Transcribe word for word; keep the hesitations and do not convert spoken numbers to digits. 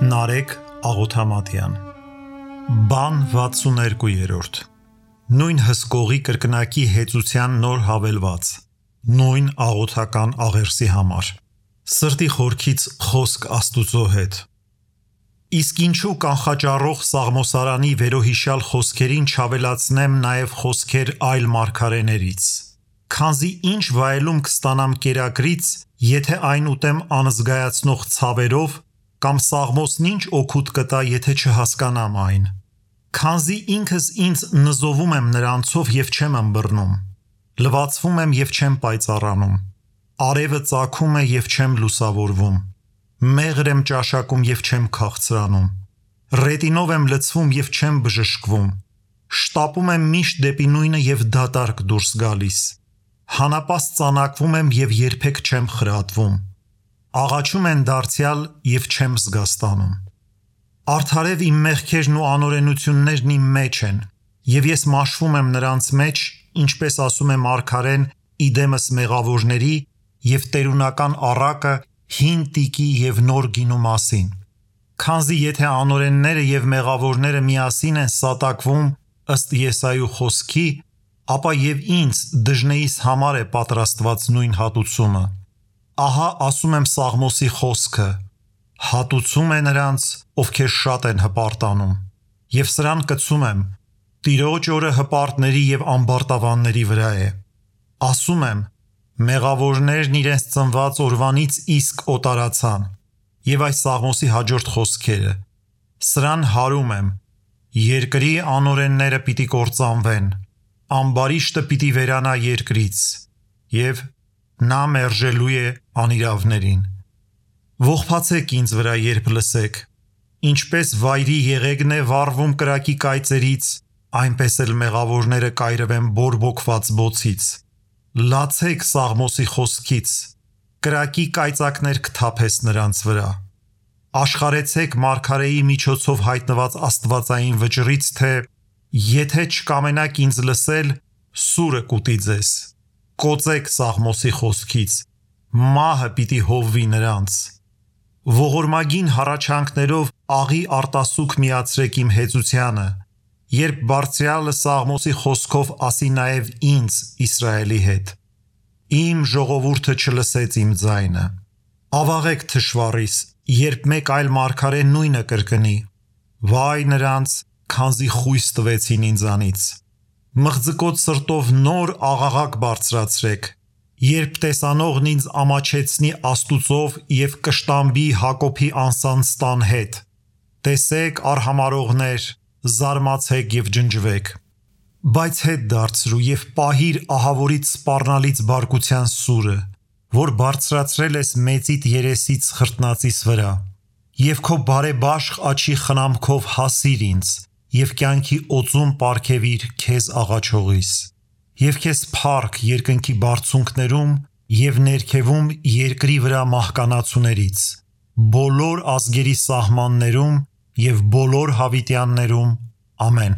Նարեկ Աղոթամատյան Բան վաթսուներկուերորդ Նույն հսկողի կրկնակի հեծության նոր հավելված Նույն աղոթական աղերսի համար Սրտի խորքից խոսք Աստուծո հետ Իսկ ինչու կանխաճառող Սաղմոսարանի վերոհիշյալ խոսքերին չավելացնեմ նաև խոսքեր այլ մարգարեներից Քանզի ինչ վայելում կստանամ կերակրից, եթե այն ուտեմ անզգայացնող ցավերով, կամ Սաղմոսն ինչ օգուտ կտա, եթե չհասկանամ այն։ Քանզի ինքս ինձ նզովում եմ նրանցով և չեմ ըմբռնում, լվացվում եմ և չեմ պայծառանում, արևը ծագում է և չեմ լուսավորվում, մեղր եմ ճաշակում և չեմ քաղցրանում, ռետինով եմ լցվում և չեմ բժշկվում, շտապում եմ միշտ դեպի նույնը և դատարկ դուրս գալիս, հանապաստ ծանակվում եմ և երբեք չեմ խրատվում, աղաչում են դարձյալ և չեմ զգաստանում։ Արդարև իմ մեղքերն ու անօրենություններն իմ մեջ են, և ես մաշվում եմ նրանց մեջ, ինչպես ասում է մարգարեն իդեմս մեղավորների և տերունական առակը հին տիկի և նոր գինու մասին։ Քանզի եթե անօրենները և մեղավորները միասին են սատակվում ըստ Եսայու խոսքի, ապա և ինձ դժնեիս համար է պատրաստված նույն հատուցումը։ Ահա ասում եմ Սաղմոսի խոսքը. հատուցում է նրանց, ովքեր շատ են հպարտանում, և սրան կցում եմ. Տիրոջ օրը հպարտների և ամբարտավանների վրա է։ Ասում եմ. մեղավորներն իրենց ծնված օրվանից իսկ օտարացան։ Եվ այս Սաղմոսի հաջորդ խոսքերը. սրան հարում եմ. երկրի անօրենները պիտի կործանվեն, ամբարիշտը պիտի վերանա երկրից, և նա մերժելու է անիրավներին։ Ողբացեք ինձ վրա, երբ լսեք, ինչպես վայրի եղեգն է վառվում կրակի կայծերից, այնպես էլ մեղավորները կայրվեն բորբոքված բոցից։ Լացեք Սաղմոսի խոսքից, կրակի կայծակներ կթափես նրանց վրա։ Աշխարհեցեք մարգարեի միջոցով հայտնված աստվածային վճռից, թե եթե չկամենաք ինձ լսել, սուրը կուտի ձեզ։ Կոծեք Սաղմոսի խոսքից, մահը պիտի հովվի նրանց։ Ողորմագին հառաչանքներով աղի արտասուք միացրեք իմ հեծությանը, երբ Բարձրյալը Սաղմոսի խոսքով ասի նաև ինձ Իսրայելի հետ։ Իմ ժողովուրդը չլսեց իմ ձայնը։ Ավաղեք թշվառիս, երբ մեկ այլ մարգարե նույնը կրկնի։ Վայ նրանց, քանզի խույս տվեցին ինձանից։ Մղձկոտ սրտով նոր աղաղակ բարձրացրեք, երբ տեսանողն ինձ ամաչեցնի Աստուծով և կշտամբի Հակոբի անսանձ տան հետ։ Տեսեք, արհամարհողներ, զարմացեք և ջնջվեք։ Բայց հետ դարձրու և պահիր ահավորիդ սպառնալից բարկության սուրը, որ բարձրացրել ես մեծիդ երեսից խրտնածիս վրա, և քո բարեբաշխ աջի խնամքով հասիր ինձ, և կյանքի օծում պարգևիր քեզ աղաչողիս, և քեզ փառք երկնքի բարձունքներում և ներքևում երկրի վրա մահկանացուներից, բոլոր ազգերի սահմաններում և բոլոր հավիտյաններում, ամեն։